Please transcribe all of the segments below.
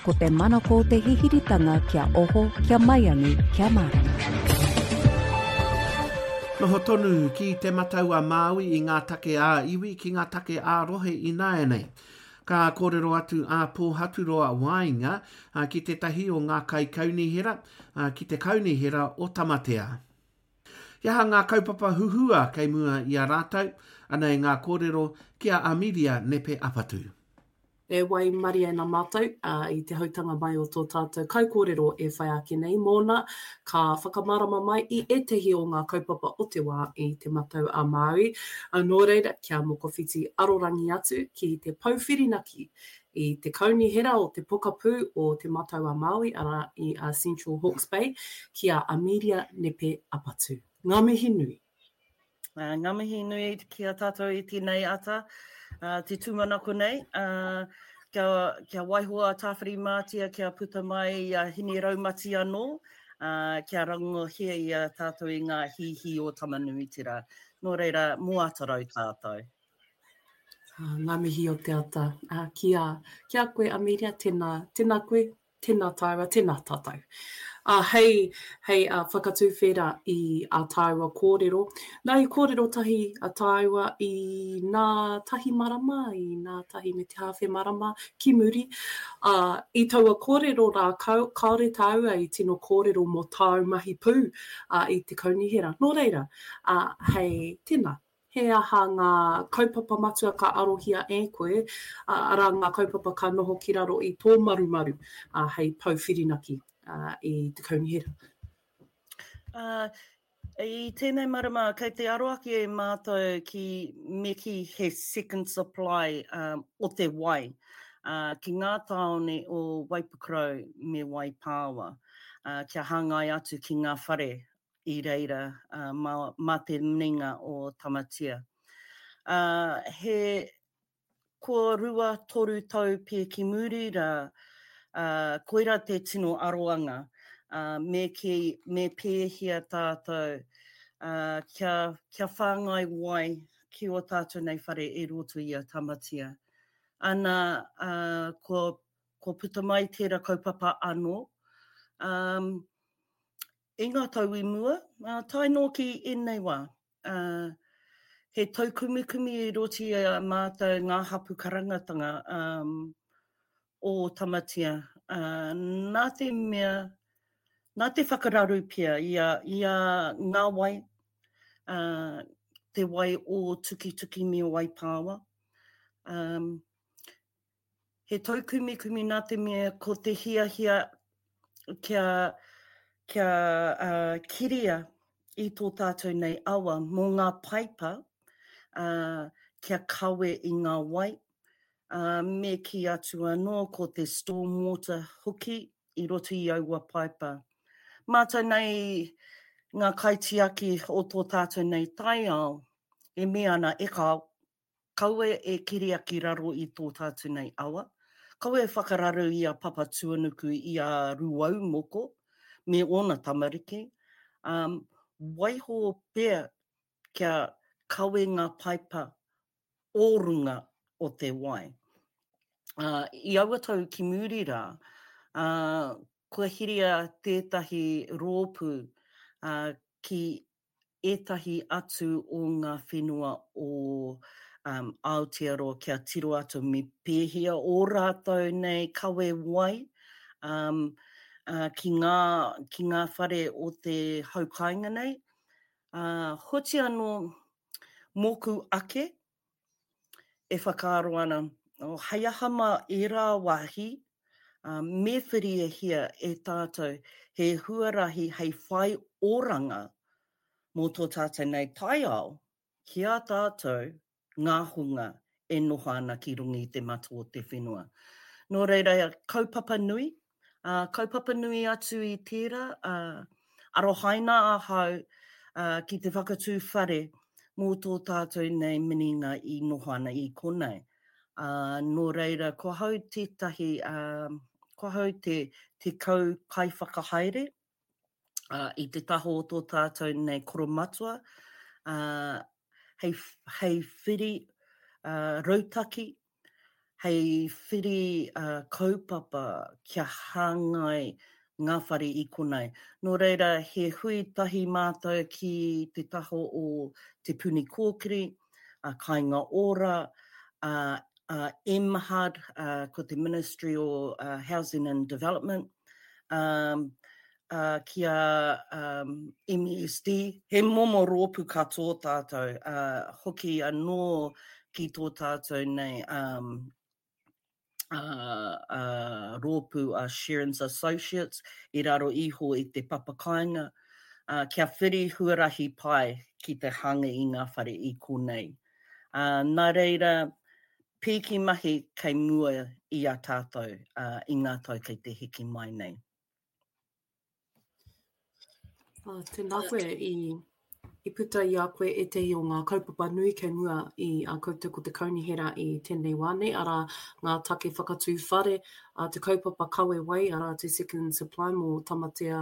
Ko te manako o te hihiritanga kia oho, kia maiangi, kia mārama. Noho tonu ki Te Matau a Māui i ngā take ā-iwi ki ngā take ā-rohe ināianei. Ka kōrero atu a Pōhaturoa Waenga ki tētahi o ngā kaikaunihera, ki te Kaunihera o Tamatea. He aha ngā kaupapa huhua kei mua i a rātou? Anei ngā kōrero ki a Amiria Nepe Apatu. E waimarie ana mātou i te hautanga mai o tō tātou kaikōrero e whai ake nei mōna, ka whakamārama mai i ētahi o ngā kaupapa o te wā i Te Matau a Māui. Nō reira, kia mokowhiti arorangi atu ki te pou whirinaki i te kaunihera o te pokapū o Te Matau a Māui, arā, i a Central Hawke's Bay, ki a Amelia Nepe Apatu. Ngā mihi nui. Uh, ngā mihi nui ki a tātou i tēnei ata, uh, te tūmanako nei, uh, kia, kia waiho a Tāwhirimātea kia puta mai i a Hine Raumati anō, uh, kia rangohia i a tātou i ngā hīhī o Tamanuiterā. Nō reira, mō Atarau tātou. Uh, ngā mihi o te ata. Uh, ki, a, ki a koe, Amelia, tēnā, tēnā koe, Tēnā tāua, tēnā tātou. Ā, hei, hei ā, whakatūwhera i ā tāua kōrero. Nā, i kōrero tahi a tāua i nā tahi marama, i nā tahi me te hāwhe marama ki muri. Ā, i taua kōrero rā, kāore tāua i tino kōrero mō tāu mahi pū, ā, i te kaunihera. Nō reira, ā, hei, tēnā, He aha ngā kaupapa matua ka arohia e koe, arā ngā kaupapa ka noho ki raro i tō marumaru hei pou whirinaki i te kaunihera? I tēnei marama kei te aro ake mātou ki me kī he second supply o te wai ki ngā tāone o Waipukurau me Waipāwa kia hāngai atu ki ngā whare i reira mā te minenga o Tamatea. He kua rua, toru tau pea ki muri rā, koirā te tino aroanga, me kī, me pēhea tātou kia, kia whāngai wai ki ō tātou nei whare i roto i a Tamatea. Ana, kua, kua puta mai tērā kaupapa anō. I ngā tau i mua, ā, tae noa ki ēnei wā, ā, he taukumikumi i roto i a mātou ngā hapu karangatanga ā, o Tamatea, ā, nā te mea, nā te whakararu pea i a, i a ngā wai, ā, te wai o Tukituki me Waipāwa, ā, He taukumikumi nā te mea ko te hiahia kia, kia uh, kiria i tō tātou nei awa mō ngā paipa uh, kia kawe i ngā wai, uh, me kī atu anō ko te stormwater hoki i roto i aua paipa. Mātou nei ngā kaitiaki o tō tātou nei taiao e mea ana e kāo, Kaua e keria ki raro i tō tātou nei awa. Kaua e whakararu i a Papatuanuku, i a Rūaumoko me ōna tamariki. Um, waiho pea kia kawe ngā paipa o runga o te wai. Uh, I aua tau ki muri rā, uh, kua hiria tētahi rōpū uh, ki ētahi atu o ngā whenua o um, Aotearoa kia tiro atu me pēhea ō rātou nei kawe wai um, uh, ki, ngā, ki ngā whare o te hau kāinga nei. Uh, hoti anō mōku ake e whakaaro ana, oh, hei aha mā ērā wāhi, uh, me whiriahia e tātou he huarahi hei whai oranga mō tō tātou nei taiao ki a tātou ngā hunga e noho ana ki runga i te mata o te whenua. Nō reira, kaupapa nui, Ā, kaupapa nui atu i tērā, ā, arohaina ahau, ā, ki te whakatū whare mō tō tātou nei minenga i noho ana i konei. Ā, nō reira, ko ahau tētahi, ā, ko ahau te, te kau kaiwhakahaere, ā, i te taha o tō tātou nei koromatua, ā, hei, hei whiri, ā, rautaki, hei whiri kaupapa kia hāngai ngā whare i konei. Nō reira, he hui tahi mātou ki te taha o Te Puni Kōkiri, a Kāinga Ora, a, a MHUD, ko te Ministry o Housing and Development, um, uh, ki a um, MESD. He momo rōpū katoa tātou, uh, hoki anō ki tō tātou nei um, uh, uh, rōpū a Shearings Associates i raro iho i te papakāinga, uh, kia whiri huarahi pai ki te hanga i ngā whare i konei. Uh, nā reira, pīki mahi kei mua i a tātou uh, i ngā tau kei te hiki mai nei. Ah, tēnā koe i, i puta i a koe ētehi o ngā kaupapa nui kei mua i a koutou ko te kaunihera i tēnei wā nei, arā ngā take whakatū whare, a te kaupapa kawe wai, arā te second supply mō Tamatea,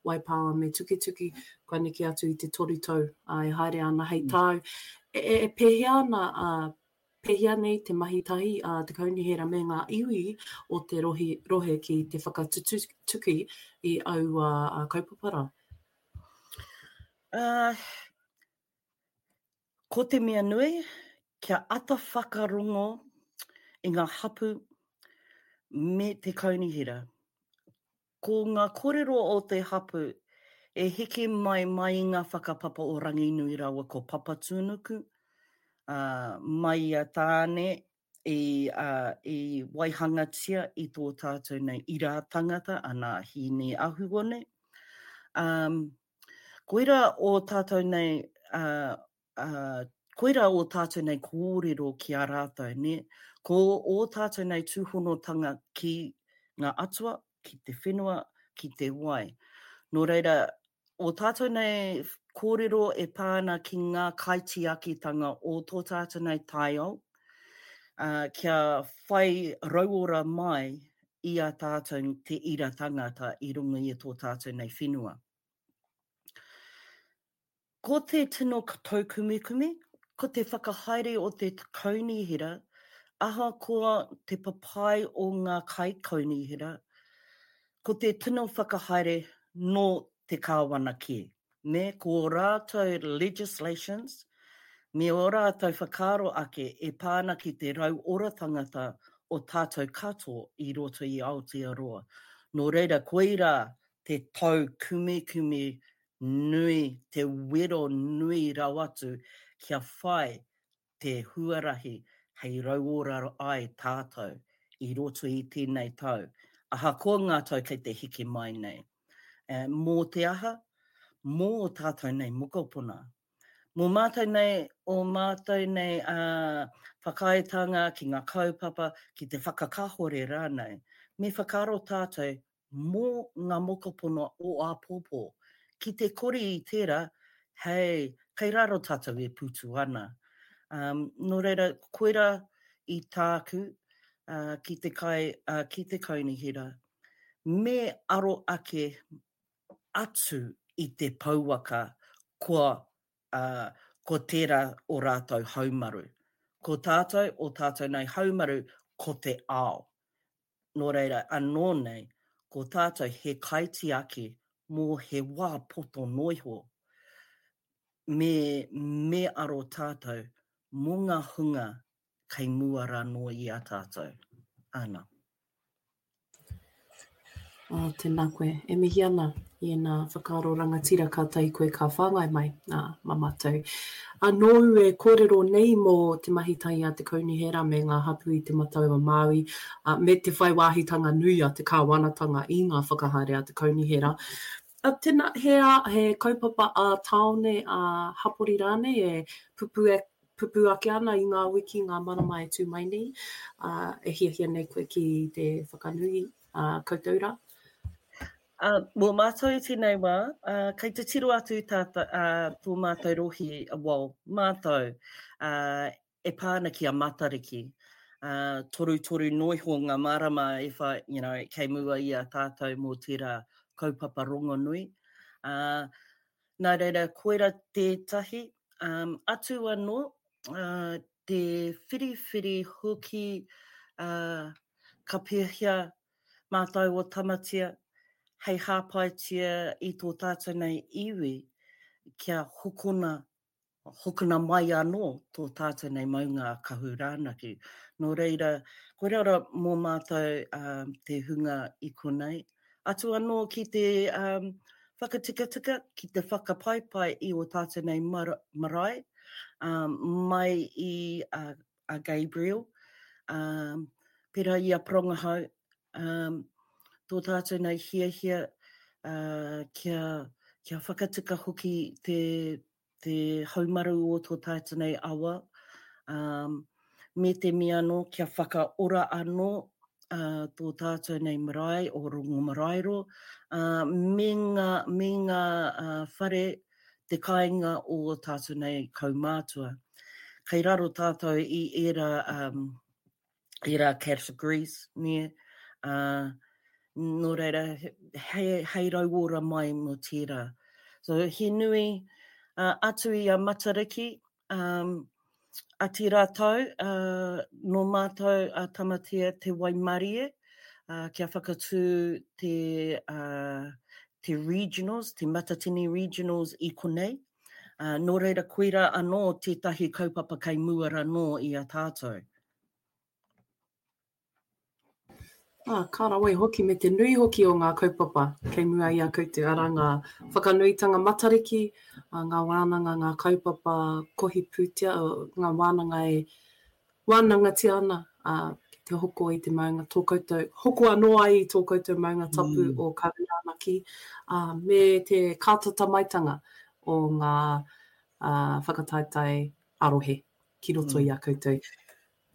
Waipāwa me Tukituki, kua neke atu i te toru tau a, e haere ana hei mm. tāu. E, e, e pēhea ana a, Pēhea nei te mahi tahi a te kaunihera me ngā iwi o te rohi, rohe ki te whakatutuki i aua kaupapa rā? Uh, ko te mea nui, kia ata whakarongo i ngā hapu me te kaunihera. Ko nga korero o te hapu e heke mai mai i nga whakapapa o Ranginui raua ko Papatuanuku, a, mai i a Tāne i, a, i waihangatia i tō tātou nei ira tangata, ana Hīni Ahuone. Um, koira o tātou nei, a, ā, koirā ō tātou nei kōrero ki a rātou, nē? Ko ō tātou nei tūhonotanga ki ngā atua, ki te whenua, ki te wai. Nō reira, ō tātou nei kōrero e pā ana ki ngā kaitiakitanga o tō tātou nei taiao, ā, kia whai rauora mai i a tātou te ira tangata i runga i tō tātou nei whenua. Ko te tino taukumekume, ko te whakahaere o te kaunihera, ahakoa te papai o ngā kaikaunihera, ko te tino whakahaere nō te kāwana kē, me ko ō rātou legislations, me ō rātou whakaaro ake e pā ana ki te rauora tangata o tātou katoa i roto i Aotearoa. Nō reira, koirā te taukumekume nui, te wero nui rawa atu kia whai te huarahi hei rauora ai tātou i roto i tēnei tau, ahakoa ngā tau kei te hiki mai nei. Mō te aha? Mō ō tātou nei mokopuna. Mō mātou nei, ō mātou nei whakaaetanga ki ngā kaupapa, ki te whakakāhore rānei, me whakaaro tātou mō ngā mokopuna o āpōpō. Ki te kore i tērā, hei, kei raro tātou e putu ana. Um, nō reira, koirā i tāku uh, ki te kai, uh, ki te kaunihera, me aro ake atu i te pouaka kua, uh, ko tērā o rātou haumaru. Ko tātou, o tātou nei haumaru, ko te ao. Nō reira, anō nei, ko tātou he kaitiaki mō he wā poto noa iho, me, me aro tātou mō ngā hunga kei mua rānō i a tātou. Āna. Oh, tēnā koe. E mihi ana i ēnā whakaaro rangatira kātahi koe ka whāngai mai, ā, mā mātou. Ā, nōu e kōrero nei mō te mahi tahi a te Kaunihera me ngā hapū i Te Matau-a-Māui, ā, me te whai wāhitanga nui a te kāwanatanga i ngā whakahaere a te Kaunihera. Ā, tēnā, he, ā, he kaupapa ā-tāone, ā-hapori rānei e pupū, pupū ake ana i ngā wiki, ngā marama e tū mai nei, ā, e hiahia nei koe ki te whakanui ā koutou rā? Ā, mō mātou i tēnei wā, ā, kei te tiro atu tātou, ā, tō mātou rohe, well, mātou, ā, e pā ana ki a Matariki. Ā, torutoru noa iho ngā marama e whai, you know, kei mua i a tātou mō tērā kaupapa rongonui. Ā, nā reira, koira tētahi. Ā, atu anō, ā, te whiriwhiri hoki, ā, ka pēhea mātou o Tamatea hei hāpaitia i tō tātou nei iwi kia hokona hokona mai anō tō tātou nei maunga a Kahurānaki. Nō reira, koirā rā mō mātou te hunga i konei. Atu anō ki te whakatikatika, ki te whakapaipai i ō tātou nei marae, mai i a Gabriel, pērā i a Porongahau, tō tātou nei hiahia kia, kia whakatika hoki te, te haumaru o tō tātou nei awa, me te mea anō kia whakaora anō tō tātou nei marae o Rongomaraeroa, me ngā, me ngā whare te kāinga o ō tātou nei kaumātua. Kei raro tātou i ērā, um, ērā categories, nē, ā, nō reira, hei, hei rauora mai mō tērā. So, he nui uh, atu i a Matariki, um, a tērā tau, uh, nō mātou a Tamatea te waimarie, uh, kia whakatū te, uh, te regionals, te Matatini regionals i konei. Uh, nō reira, koirā anō tētahi kaupapa kei mua ranō i a tātou. Ā, ka rawe hoki me te nui hoki o ngā kaupapa kei mua i a koutou, arā ngā whakanuitanga Matariki, ngā wānanga, ngā kaupapa kohi pūtea, ngā wānanga e wānangatia ana ki te hoko i te maunga, tō koutou, hoko anō ai i tō koutou maunga tapu o Kahuranaki, ā, me te kātata maitanga o ngā whakataetae ā-rohe ki roto i a koutou.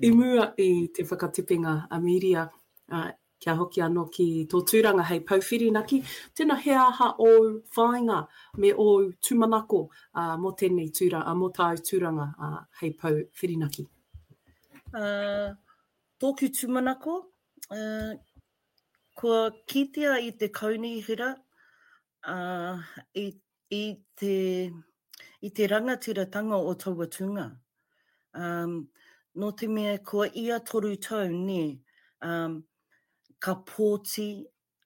I mua i te whakatipenga a Mīria, ā, kia hoki anō ki tō tūranga hei pou whirinaki, tēnā he aha ōu whāinga me ōu tūmanako, ā, mō tēnei tūra, ā, mō tāu tūranga, ā, hei pou whirinaki? Ā, tōku tūmanako, ā, kua kitea i te kaunihera, ā, i, i te, i te rangatiratanga o taua tūnga. Um, nō te mea kua ia toru tau, nē, um, ka pōti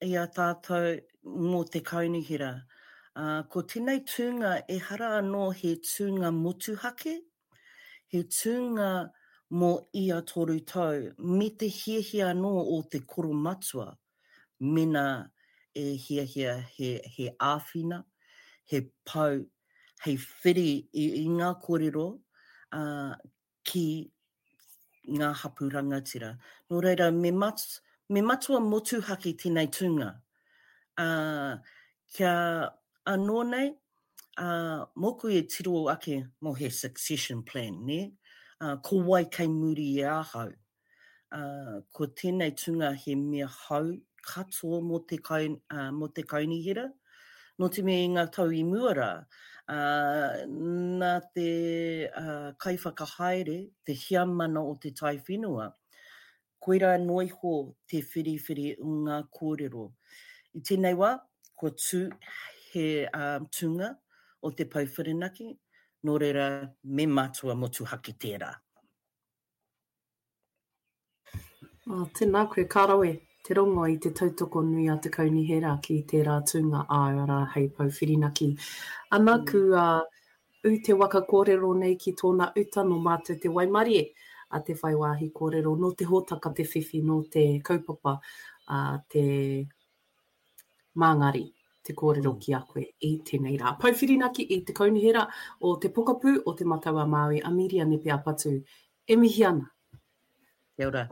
i a tātou mō te kaunihera. Uh, ko tēnei tūnga ehara anō he tūnga motuhake, he tūnga mō ia toru tau, me te hiahia anō o te koromatua mena e hiahia he, he āwhina, he pou hei whiri i, i ngā kōrero uh, ki ngā hapū rangatira. Nō reira, me, mat, me matua motuhake tēnei tūnga. Uh, kia anō nei, uh, mōku e tiro ake mō he succession plan, nē? Uh, ko wai kei muri i ahau? Ā, ko tēnei tūnga he mea hou katoa mō te, kai, ā, mō te kaunihera. Nō te mea i ngā tau i mua rā, ā, nā te ā, kaiwhakahaere, te heamana o te taiwhenua, koirā noa iho te whiriwhiri o ngā kōrero. I tēnei wā, kua tū he ā, tūnga o te Pou Whirinaki, nō reira me matua motuhake tērā. Oh, tēnā koe, ka rawe te rongo i te tautoko nui a te kaunihera ki tērā tūnga āu, arā, hei pou whirinaki. Ana, mm. kua ū te waka kōrero nei ki tōna uta nō mātou te waimarie a te whai wāhi kōrero, nō te hōtaka te whiwhi, nō te kaupapa a te Māngari te kōrero mm. ki a koe i tēnei rā. Pou whirinaki i te kaunihera o te pokapū o Te Matau a Māui, a Mīria Nepe Apatu. E mihi ana. Kia ora.